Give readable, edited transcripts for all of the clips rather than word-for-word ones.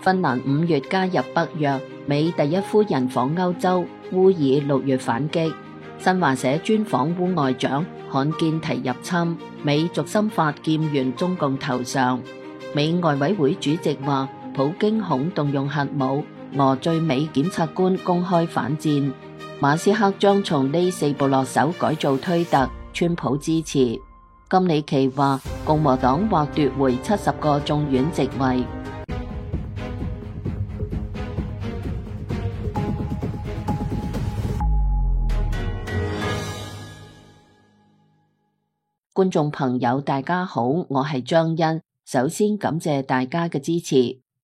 芬蘭5月加入北約，美第一夫人訪歐洲，烏爾6月反擊。新華社專訪烏外長，罕見提入侵，美軸心法攢圓中共頭上。美外委會主席話，普京恐動用核武，俄最美檢察官公開反戰。馬斯克將從呢4步落手改造推特，川普支持。金里奇話，共和黨或奪回70個眾院席位。觀眾朋友大家好，我係張欣，首先感謝大家嘅支持。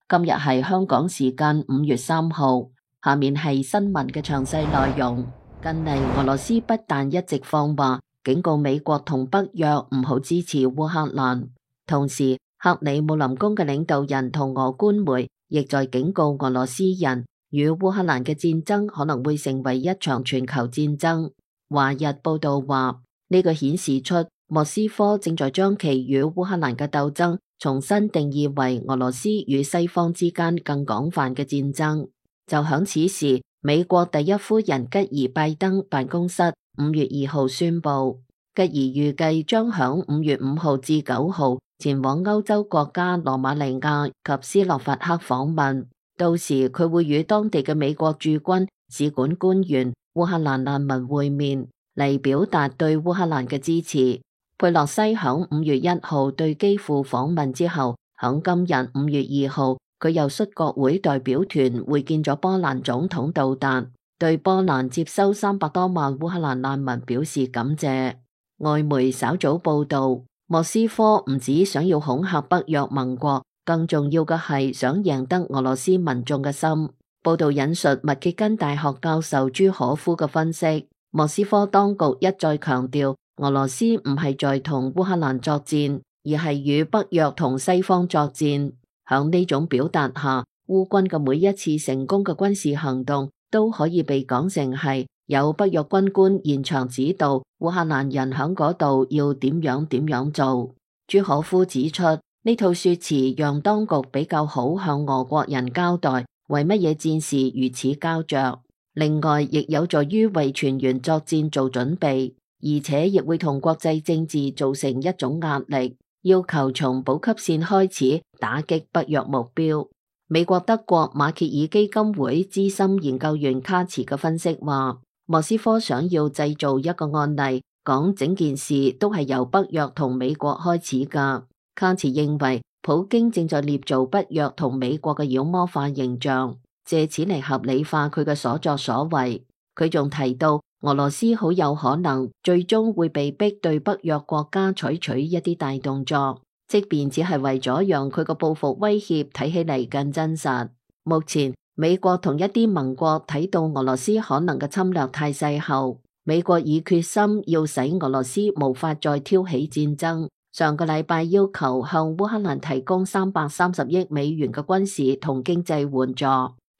今日係香港時間5月3號，下面係新聞嘅詳細內容。近嚟俄羅斯不但一直放話，警告美國同北約唔好支持烏克蘭，同時克里姆林宮嘅領導人同俄官媒亦在警告俄羅斯人，與烏克蘭嘅戰爭可能會成為一場全球戰爭。華日報道話，呢個顯示出莫斯科正在將其與烏克蘭嘅鬥爭重新定義為俄羅斯與西方之間更廣泛嘅戰爭。就響此時，美國第一夫人吉爾拜登辦公室5月2號宣布，吉爾預計將響5月5號至9號前往歐洲國家羅馬尼亞及斯洛伐克訪問，到時佢會與當地嘅美國駐軍、使館官員、烏克蘭難民會面，嚟表達對烏克蘭嘅支持。佩洛西響5月1號對基輔訪問之後，響今日5月2號，佢又率國會代表團會見咗波蘭總統杜達，對波蘭接收300多萬烏克蘭難民表示感謝。外媒稍早報道，莫斯科唔止想要恐嚇北約盟國，更重要嘅係想贏得俄羅斯民眾嘅心。報道引述密歇根大學教授朱可夫嘅分析，莫斯科當局一再強調，俄羅斯唔係在同烏克蘭作戰，而係與北約同西方作戰。響呢種表達下，烏軍嘅每一次成功嘅軍事行動都可以被講成係有北約軍官現場指導烏克蘭人響嗰度要點樣做。朱可夫指出，呢套說辭讓當局比較好向俄國人交代為乜嘢戰事如此膠着，另外亦有助於為全員作戰做準備。而且亦會同國際政治造成一種壓力，要求從補給線開始打擊北約目標。美國德國馬歇爾基金會資深研究員卡茨嘅分析話，莫斯科想要製造一個案例，講整件事都係由北約同美國開始㗎。卡茨認為，普京正在捏造北約同美國嘅妖魔化形象，借此嚟合理化佢嘅所作所為。佢仲提到，俄羅斯好有可能最終會被逼對北約國家採取一啲大動作，即便只係為咗讓佢個報復威脅睇起嚟更真實。目前美國同一啲盟國睇到俄羅斯可能嘅侵略態勢後，美國已決心要使俄羅斯無法再挑起戰爭。上個禮拜要求向烏克蘭提供330億美元嘅軍事同經濟援助，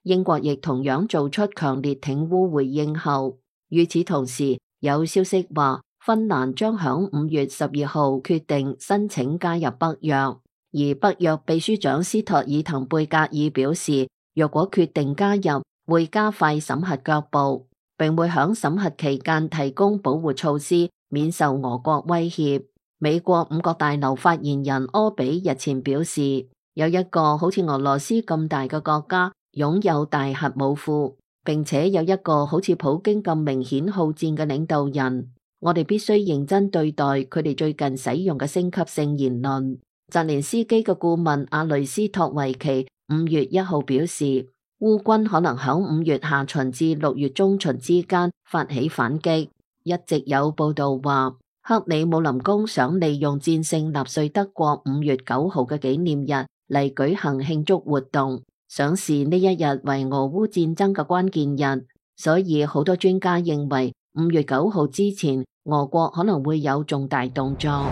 英國亦同樣做出強烈挺烏回應後，與此同時，有消息話芬蘭將響5月12號決定申請加入北約，而北約秘書長斯托爾滕貝格爾表示，若果決定加入，會加快審核腳步，並會響審核期間提供保護措施，免受俄國威脅。美國5角大樓發言人柯比日前表示，有一個好似俄羅斯咁大嘅國家擁有大核武庫，並且有一個好似普京咁明顯好戰嘅領導人，我哋必須認真對待佢哋最近使用嘅升級性言論。澤連斯基嘅顧問阿雷斯托維奇5月1號表示，烏軍可能響5月下旬至6月中旬之間發起反擊。一直有報道話，克里姆林宮想利用戰勝納粹德國5月9號嘅紀念日嚟舉行慶祝活動，想視呢一日為俄烏戰爭嘅關鍵日，所以好多專家認為5月9號之前，俄國可能會有重大動作。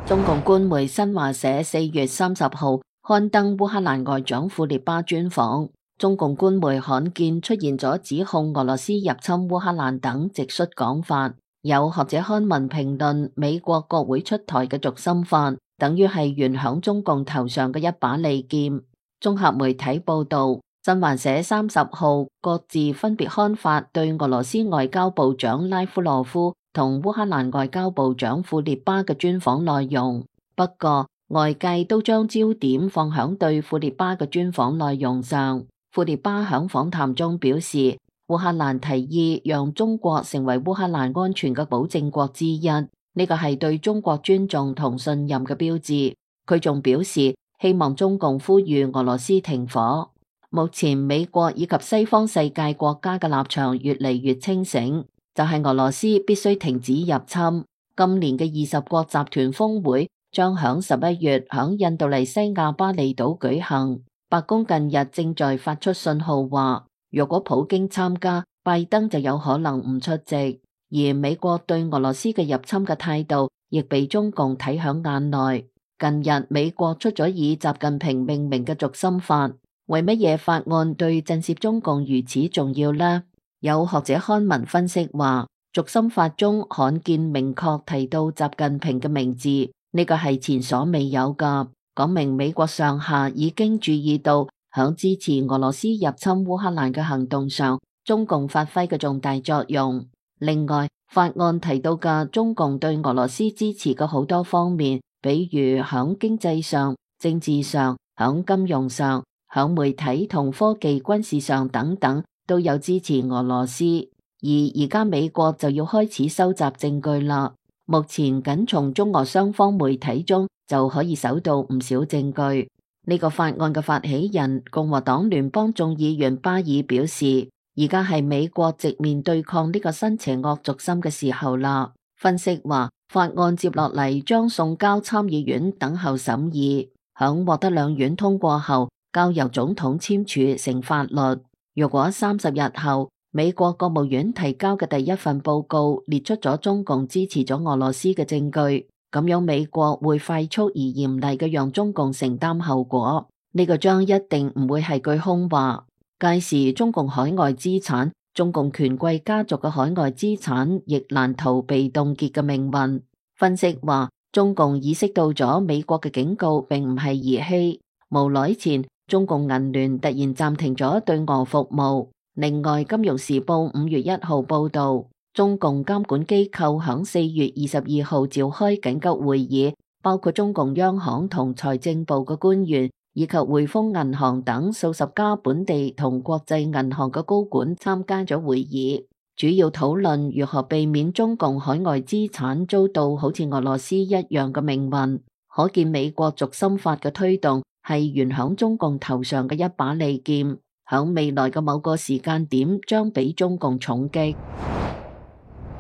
中共官媒新華社4月30號刊登烏克蘭外長庫列巴專訪，中共官媒罕見出現咗指控俄羅斯入侵烏克蘭等直率講法，有學者刊文評論美國國會出台嘅軸心法，等於係懸響中共頭上嘅一把利劍。綜合媒體報道，新華社30號各自分別刊發對俄羅斯外交部長拉夫羅夫同烏克蘭外交部長庫列巴嘅專訪內容。不過，外界都將焦點放響對庫列巴嘅專訪內容上。庫列巴響訪談中表示，烏克蘭提議讓中國成為烏克蘭安全嘅保證國之一，呢個係對中國尊重同信任嘅標誌。佢仲表示，希望中共呼籲俄羅斯停火。目前美國以及西方世界國家嘅立場越嚟越清醒，就係俄羅斯必須停止入侵。今年嘅20國集團峰會將響11月響印度尼西亞巴厘島舉行。白宮近日正在發出信號話，若果普京參加，拜登就有可能唔出席。而美國對俄羅斯嘅入侵嘅態度亦被中共睇響眼內。近日美國出咗以習近平命名嘅軸心法，為乜嘢法案對震懾中共如此重要呢？有學者刊文分析話，軸心法中罕見明確提到習近平嘅名字，呢個係前所未有噶，講明美國上下已經注意到響支持俄羅斯入侵烏克蘭嘅行動上，中共發揮嘅重大作用。另外，法案提到嘅中共對俄羅斯支持嘅好多方面，比如響經濟上、政治上、響金融上、響媒體同科技、軍事上等等，都有支持俄羅斯。而家美國就要開始收集證據啦。目前僅從中俄雙方媒體中就可以搜到唔少證據。呢個法案嘅發起人共和黨聯邦眾議員巴爾表示，而家係美國直面對抗呢個新邪惡軸心嘅時候啦。分析話，法案接落嚟將送交參議院等候審議，響獲得兩院通過後，交由總統簽署成法律。如果30日後美國國務院提交嘅第一份報告列出咗中共支持咗俄羅斯嘅證據，咁樣美國會快速而嚴厲嘅讓中共承擔後果。呢個將一定唔會係句空話。屆時中共海外資產、中共權貴家族嘅海外資產亦難逃被凍結嘅命運。分析話，中共意識到咗美國嘅警告並唔係兒戲。無耐前，中共銀聯突然暫停咗對俄服務。另外，《金融時報》5月1號報道，中共監管機構響4月22號召開緊急會議，包括中共央行同財政部嘅官員，以及匯豐銀行等數十家本地同國際銀行嘅高管參加咗會議，主要討論如何避免中共海外資產遭到好似俄羅斯一樣嘅命運。可見美國軸心法嘅推動係懸響中共頭上嘅一把利劍，響未來嘅某個時間點將俾中共重擊。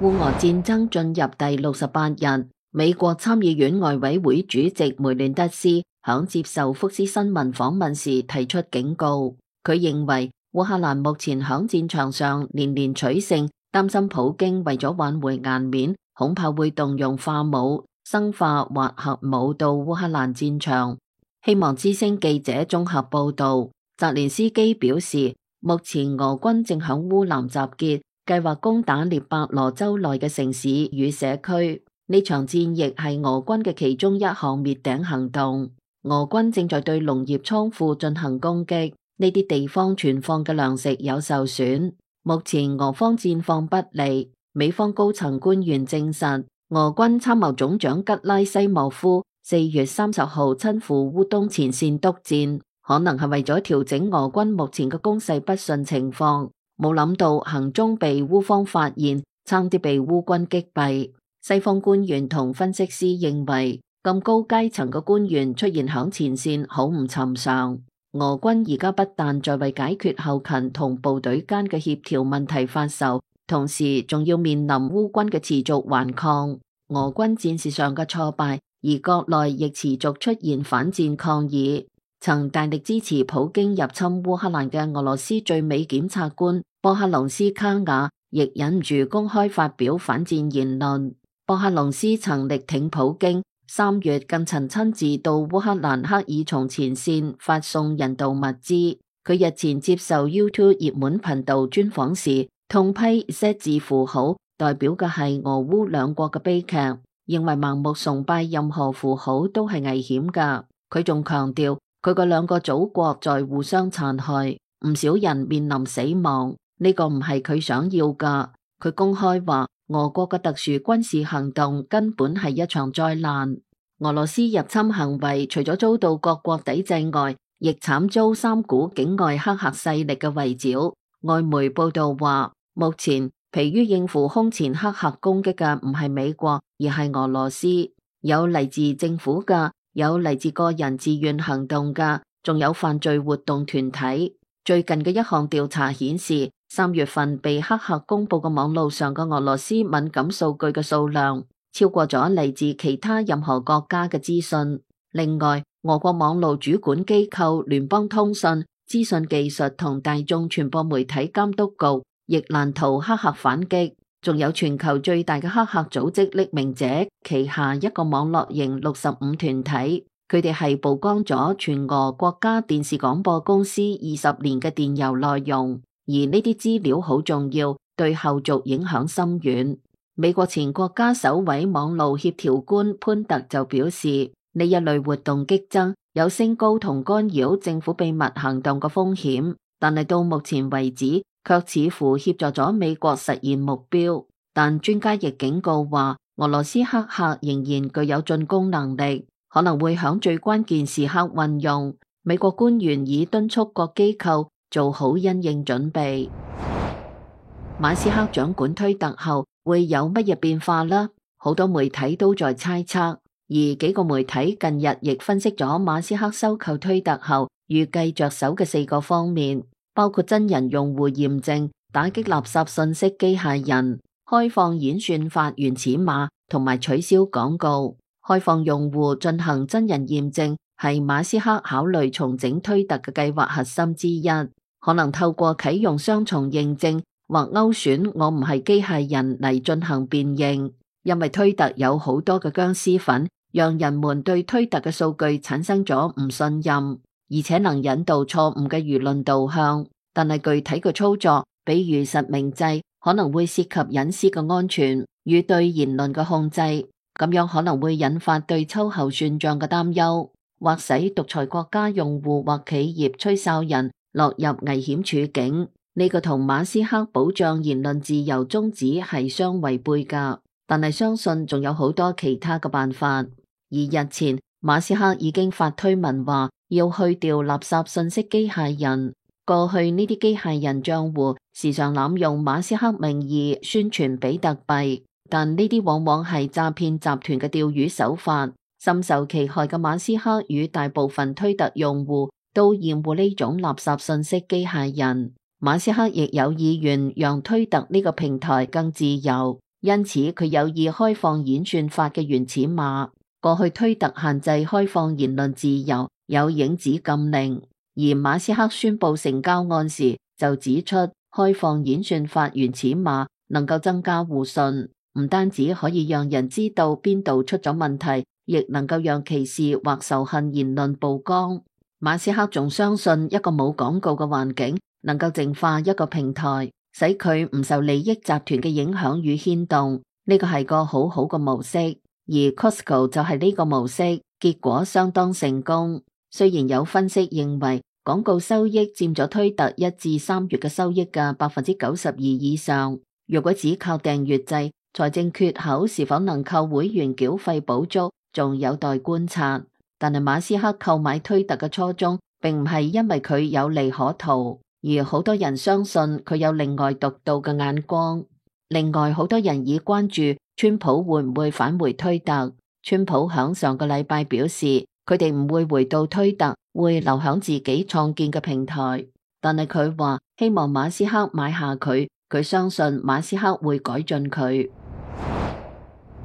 烏俄戰爭進入第68日，美國參議院外委會主席梅亂德斯響接受福斯新聞訪問時提出警告，佢認為烏克蘭目前響戰場上連連取勝，擔心普京為咗挽回顏面，恐怕會動用化武、生化或核武到烏克蘭戰場。希望之聲記者綜合報道，澤連斯基表示，目前俄軍正響烏南集結，計劃攻打聶伯羅州內嘅城市與社區。呢場戰役係俄軍嘅其中一項滅頂行動。俄軍正在對農業倉庫進行攻擊，呢啲地方存放嘅糧食有受損。目前俄方戰況不利，美方高層官員證實，俄軍參謀總長吉拉西莫夫4月30號親赴烏東前線督戰，可能係為咗調整俄軍目前嘅攻勢不順情況。冇諗到行蹤被烏方發現，差啲被烏軍擊斃。西方官員同分析師認為，咁高階層嘅官員出現響前線好唔尋常。俄軍而家不但在為解決後勤同部隊間嘅協調問題發愁，同時仲要面臨烏軍嘅持續頑抗。俄軍戰事上嘅挫敗，而國內亦持續出現反戰抗議。曾大力支持普京入侵烏克蘭嘅俄羅斯最美檢察官波克隆斯卡雅亦忍唔住公開發表反戰言論。波克隆斯曾力挺普京，3月更曾親自到烏克蘭克爾松前線發送人道物資。佢日前接受 YouTube 熱門頻道專訪時，痛批 Z 字符號代表嘅係俄烏兩國嘅悲劇，認為盲目崇拜任何符號都係危險㗎。佢仲強調，佢個兩個祖國在互相殘害，唔少人面臨死亡，呢個唔係佢想要噶。佢公開話，俄國嘅特殊軍事行動根本係一場災難。俄羅斯入侵行為除咗遭到各國抵制外，亦慘遭三股境外黑客勢力嘅圍剿。外媒報道話，目前疲於應付空前黑客攻擊嘅唔係美國，而係俄羅斯。有嚟自政府嘅，有嚟自個人自願行動嘅，仲有犯罪活動團體。最近嘅一項調查顯示，3月份被黑客公布嘅網路上嘅俄羅斯敏感數據嘅數量超過咗嚟自其他任何國家嘅資訊。另外，俄國網路主管機構聯邦通訊、資訊技術同大眾傳播媒體監督局亦難逃黑客反擊。仲有全球最大嘅黑客組織匿名者旗下一個網絡型65團體，佢哋係曝光咗全俄國家電視廣播公司20年嘅電郵內容，而呢啲資料好重要，對後續影響深遠。美國前國家首位網路協調官潘特就表示，呢一類活動激增，有升高同干擾政府秘密行動嘅風險，但係到目前為止，卻似乎協助咗美國實現目標。但專家亦警告話，俄羅斯黑客仍然具有進攻能力，可能會響最關鍵時刻運用。美國官員已敦促各機構做好因應準備。馬斯克掌管推特後會有乜嘢變化呢？好多媒體都在猜測，而幾個媒體近日亦分析咗馬斯克收購推特後預計着手嘅4個方面，包括真人用戶驗證、打擊垃圾信息機械人、開放演算法原始碼同埋取消廣告。開放用戶進行真人驗證係馬斯克考慮重整推特嘅計劃核心之一，可能透過啟用雙重認證或勾選我唔係機械人嚟進行辨認，因為推特有好多嘅僵屍粉，讓人們對推特嘅數據產生咗唔信任，而且能引導錯誤嘅輿論導向。但係具體嘅操作，比如實名制，可能會涉及隱私嘅安全與對言論嘅控制，咁樣可能會引發對秋後算賬嘅擔憂，或使獨裁國家用戶或企業吹哨人落入危險處境。呢個同馬斯克保障言論自由宗旨係相違背㗎，但係相信仲有好多其他嘅辦法。而日前，馬斯克已經發推文話要去掉垃圾信息機械人。過去呢啲機械人賬戶時常濫用馬斯克名義宣傳比特幣，但呢啲往往係詐騙集團嘅釣魚手法。深受其害嘅馬斯克與大部分推特用戶都厭惡呢種垃圾信息機械人。馬斯克亦有意願讓推特呢個平台更自由，因此佢有意開放演算法嘅原始碼。過去推特限制開放言論自由，有影子禁令，而馬斯克宣布成交案時就指出，開放演算法原始碼能夠增加互信，唔單止可以讓人知道邊度出咗問題，亦能夠讓歧視或仇恨言論曝光。馬斯克仲相信一個冇廣告嘅環境能夠淨化一個平台，使佢唔受利益集團嘅影響與牽動，呢個係個好好嘅模式。而 Costco 就係呢個模式，結果相當成功。雖然有分析認為廣告收益佔咗推特1至3月嘅收益嘅92%以上，如果只靠訂閱制，財政缺口是否能靠會員繳費補足，仲有待觀察。但係馬斯克購買推特嘅初衷並唔係因為佢有利可圖，而好多人相信佢有另外獨到嘅眼光。另外，好多人已關注川普會唔會返回推特。川普響上個禮拜表示，佢哋唔會回到推特，會留響自己創建嘅平台。但係佢話希望馬斯克買下佢，佢相信馬斯克會改進佢。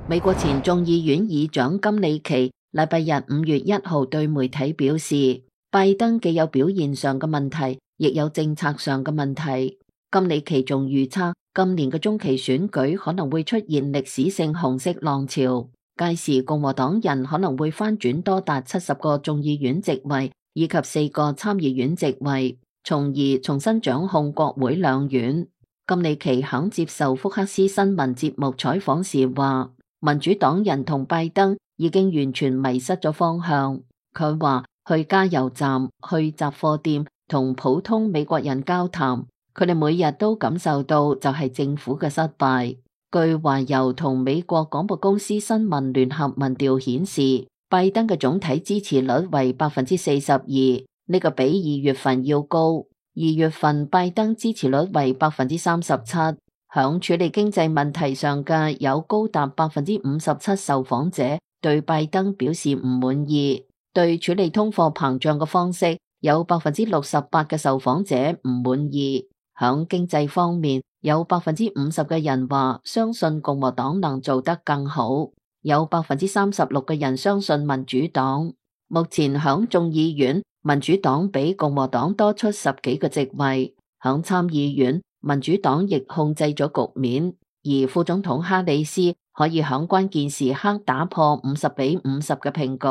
美國前眾議院議長金里奇禮拜日5月1號對媒體表示，拜登既有表現上嘅問題，亦有政策上嘅問題。金里奇仲預測今年嘅中期選舉可能會出現歷史性紅色浪潮，屆時共和黨人可能會翻轉多達70個眾議院席位以及4個參議院席位，從而重新掌控國會兩院。金里奇肯接受福克斯新聞節目採訪時話，民主黨人同拜登已經完全迷失咗方向。佢話去加油站、去雜貨店同普通美國人交談，佢哋每日都感受到就係政府嘅失敗。據華郵同美國廣播公司新聞聯合民調顯示，拜登嘅總體支持率為42%，呢個比2月份要高。2月份拜登支持率為37%。響處理經濟問題上嘅有高達57%受訪者對拜登表示唔滿意。對處理通貨膨脹嘅方式，有68%嘅受訪者唔滿意。響經濟方面，有50%嘅人話相信共和黨能做得更好，有36%嘅人相信民主黨。目前響眾議院，民主黨比共和黨多出10幾個席位。響參議院，民主黨亦控制咗局面，而副總統哈里斯可以響關鍵時刻打破50-50嘅平局。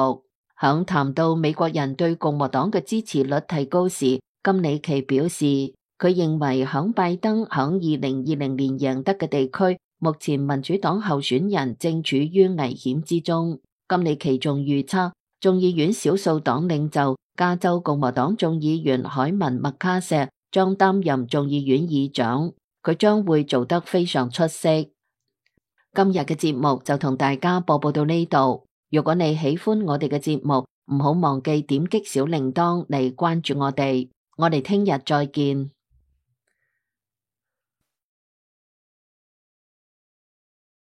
響談到美國人對共和黨嘅支持率提高時，金里奇表示，佢認為響拜登響2020年贏得嘅地區，目前民主黨候選人正處於危險之中。金里奇仲預測，眾議院少數黨領袖加州共和黨眾議員凱文麥卡錫將擔任眾議院議長，佢將會做得非常出色。今日嘅節目就同大家播報到呢度。如果你喜歡我哋嘅節目，唔好忘記點擊小鈴鐺嚟關注我哋。我哋聽日再見。